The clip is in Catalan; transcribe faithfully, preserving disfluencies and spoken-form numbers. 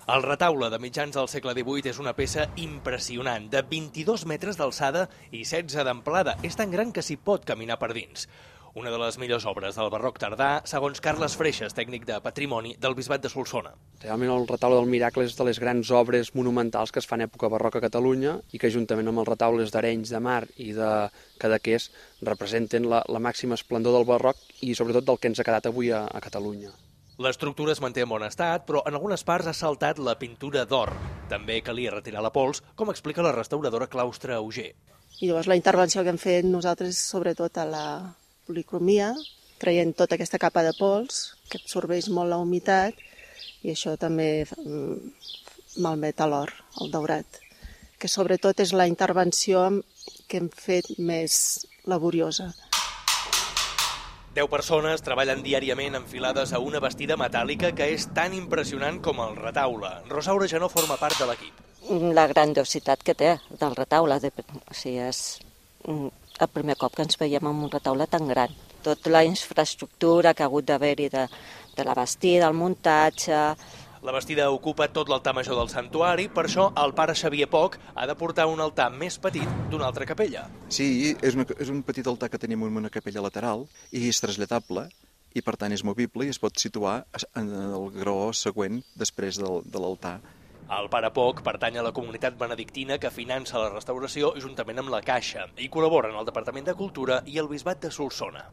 El retaule de mitjans del segle divuit és una peça impressionant, de vint-i-dos metres d'alçada i setze d'amplada. És tan gran que s'hi pot caminar per dins. Una de les millors obres del barroc tardà, segons Carles Freixas, tècnic de patrimoni del Bisbat de Solsona. Realment el retaule del Miracle és de les grans obres monumentals que es fan a època barroca a Catalunya i que juntament amb els retaules d'Arenys de Mar i de Cadaqués representen la, la màxima esplendor del barroc i sobretot del que ens ha quedat avui a, a Catalunya. L'estructura es manté en bon estat, però en algunes parts ha saltat la pintura d'or. També calia retirar la pols, com explica la restauradora Claustre Auger. I llavors la intervenció que hem fet nosaltres, sobretot a la policromia, traient tota aquesta capa de pols, que absorbeix molt la humitat, i això també malmet l'or, el daurat, que sobretot és la intervenció que hem fet més laboriosa. Deu persones treballen diàriament enfilades a una bastida metàl·lica que és tan impressionant com el retaule. Rosaura ja no forma part de l'equip. La grandiositat que té del retaule, de, o sigui, és el primer cop que ens veiem en un retaule tan gran. Tota la infraestructura que ha hagut d'haver-hi de, de la bastida, el muntatge. La bastida ocupa tot l'altar major del santuari, per això el pare Xavier Poch ha de portar un altar més petit d'una altra capella. Sí, és, una, és un petit altar que tenim en una capella lateral i és traslladable i per tant és movible i es pot situar en el graó següent després del, de l'altar. El pare Poch pertany a la comunitat benedictina que finança la restauració juntament amb la Caixa i col·labora en el Departament de Cultura i el Bisbat de Solsona.